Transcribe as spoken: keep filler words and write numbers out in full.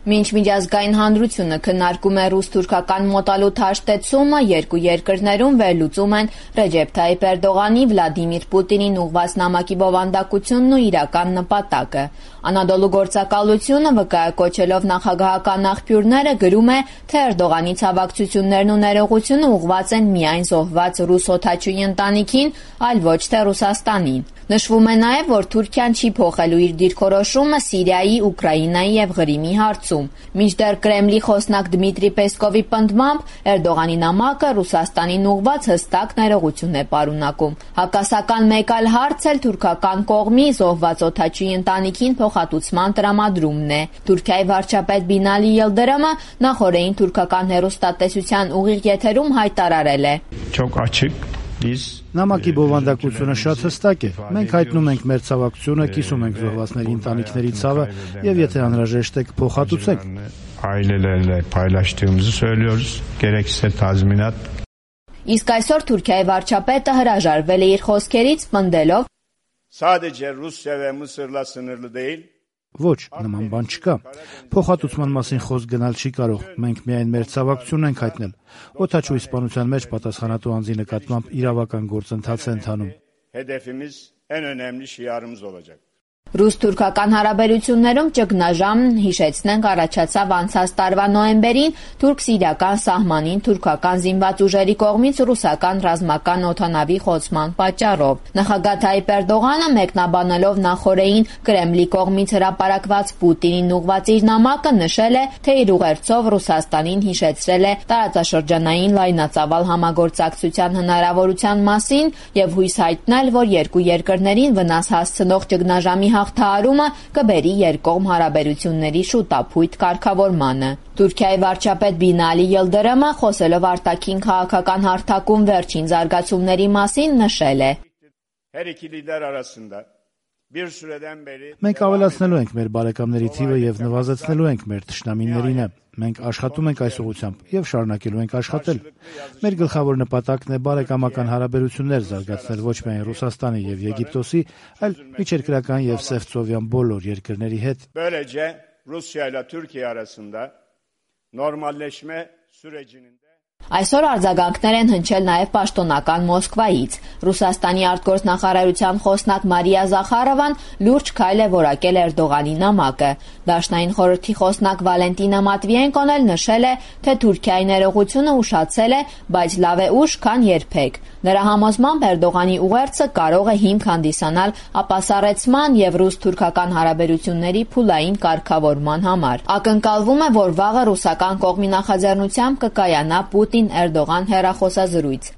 Մինչ միջազգային հանրությունը քննարկում է ռուս-թուրքական մոտալուտ հաշտեցումը, երկու երկրներում վերլուծում են Ռեջեփ Թայիփ Էրդողանի Վլադիմիր Պուտինին ուղղված նամակի բովանդակությունն ու իրական նպատակը։ Անադոլու գործակալությունը վկայակոչելով նախագահական աղբյուրները գրում է, թե Էրդողանի ցավակցություններն ու ներողությունը ուղղված են միայն զոհված ռուս օդաչուի ընտանիքին, այլ ոչ թե Ռուսաստանին։ Նշվում է նաև, որ Թուրքիան չի փոխելու իր դիրքորոշումը Սիրիայի, Ուկրաինայի եւ Ղրիմի հարցում։ Մինչդեռ Կրեմլի խոսնակ Դմիտրի Պեսկովի պնդմամբ Էրդողանի նամակը Ռուսաստանին ուղղված հստակ ներողություն է պարունակում։ Հակասական մեկ այլ հարց էլ թուրքական կողմի զոհված օդաչուի ընտանիքին փոխհատուցման տրամադրումն է։ Թուրքիայի վարչապետ Բինալի Յիլդրամը նախորդին թուրքական հեռուստատեսության ուղիղ եթերում հայտարարել է. Նամակի բովանդակությունը շատ հստակ է։ Մենք հայտնում ենք մեր ցավակցությունը, կիսում ենք զոհվածների ընտանիքների ցավը եւ եթե անհրաժեշտ է կփոխհատուցենք։ Իսկ այսօր Թուրքիայի վարչապետը հրաժարվել է իր խոսքերից, պնդելով. Ոչ, նման բան չկա։ Փոխհատուցման մասին խոսք գնալ չի կարող։ Մենք միայն մեր ցավակցությունն ենք հայտնել։ Օդաչուի սպանության մեջ պատասխանատու անձի նկատմամբ իրավական գործընթաց է ընթանում։ Ռուս-թուրքական հարաբերություններում ճգնաժամն, հիշեցնենք, առաջացավ անցած տարվա նոյեմբերին թուրք-սիրիական սահմանին թուրքական զինված ուժերի կողմից ռուսական ռազմական օդանավի խոցման պատճառով։ Նախագահ Թայիփ Էրդողանը մեկնաբանելով նախորդին Կրեմլի կողմից հրապարակված Պուտինին ուղղված իր նամակը նշել է, թե իր ուղերձով Ռուսաստանին հիշեցրել է տարածաշրջանային լայնածավալ համագործակցության հնարավորության մասին եւ հույս հայտնել, որ երկու երկրներին վնաս հասցնող ճգնաժամի հաղթահարումը կբերի երկկողմ հարաբերությունների շուտափույթ կարգավորմանը։ Թուրքիայի վարչապետ Բինալի Յիլդրամը, խոսելով արտաքին քաղաքական հարթակում վերջին զարգացումների մասին, նշել է. Մենք ավելացնելու ենք մեր բարեկամների թիվը եւ նվազեցնելու ենք մեր թշնամիներինը։ Մենք աշխատում ենք այս ուղղությամբ եւ շարունակելու ենք աշխատել։ Մեր գլխավոր նպատակն է բարեկամական հարաբերություններ զարգացնել ոչ միայն Ռուսաստանի եւ Եգիպտոսի, այլ միջերկրական եւ Սևծովյան բոլոր երկրների հետ։ Այսօր արձագանքներ են հնչել նաև պաշտոնական Մոսկվայից։ Ռուսաստանի արտգործնախարարության խոսնակ Մարիա Զախարովան լուրջ քայլ է որակել Էրդողանի նամակը։ Դաշնային խորհրդի խոսնակ Վալենտինա Մատվիենկոն էլ նշել է, թե Թուրքիայի ներողությունը ուշացել է, բայց լավ է ուշ, քան երբեք։ Նրա համոզմամբ Էրդողանի ուղերձը կարող է հիմք հանդիսանալ ապասառեցման եւ ռուս-թուրքական հարաբերությունների փուլային կարգավորման համար։ Ակնկալվում է, որ վաղը ռուսական կողմի նախաձեռնությամբ կկայանա Պուտին-Էրդողան հեռախոսազրույց։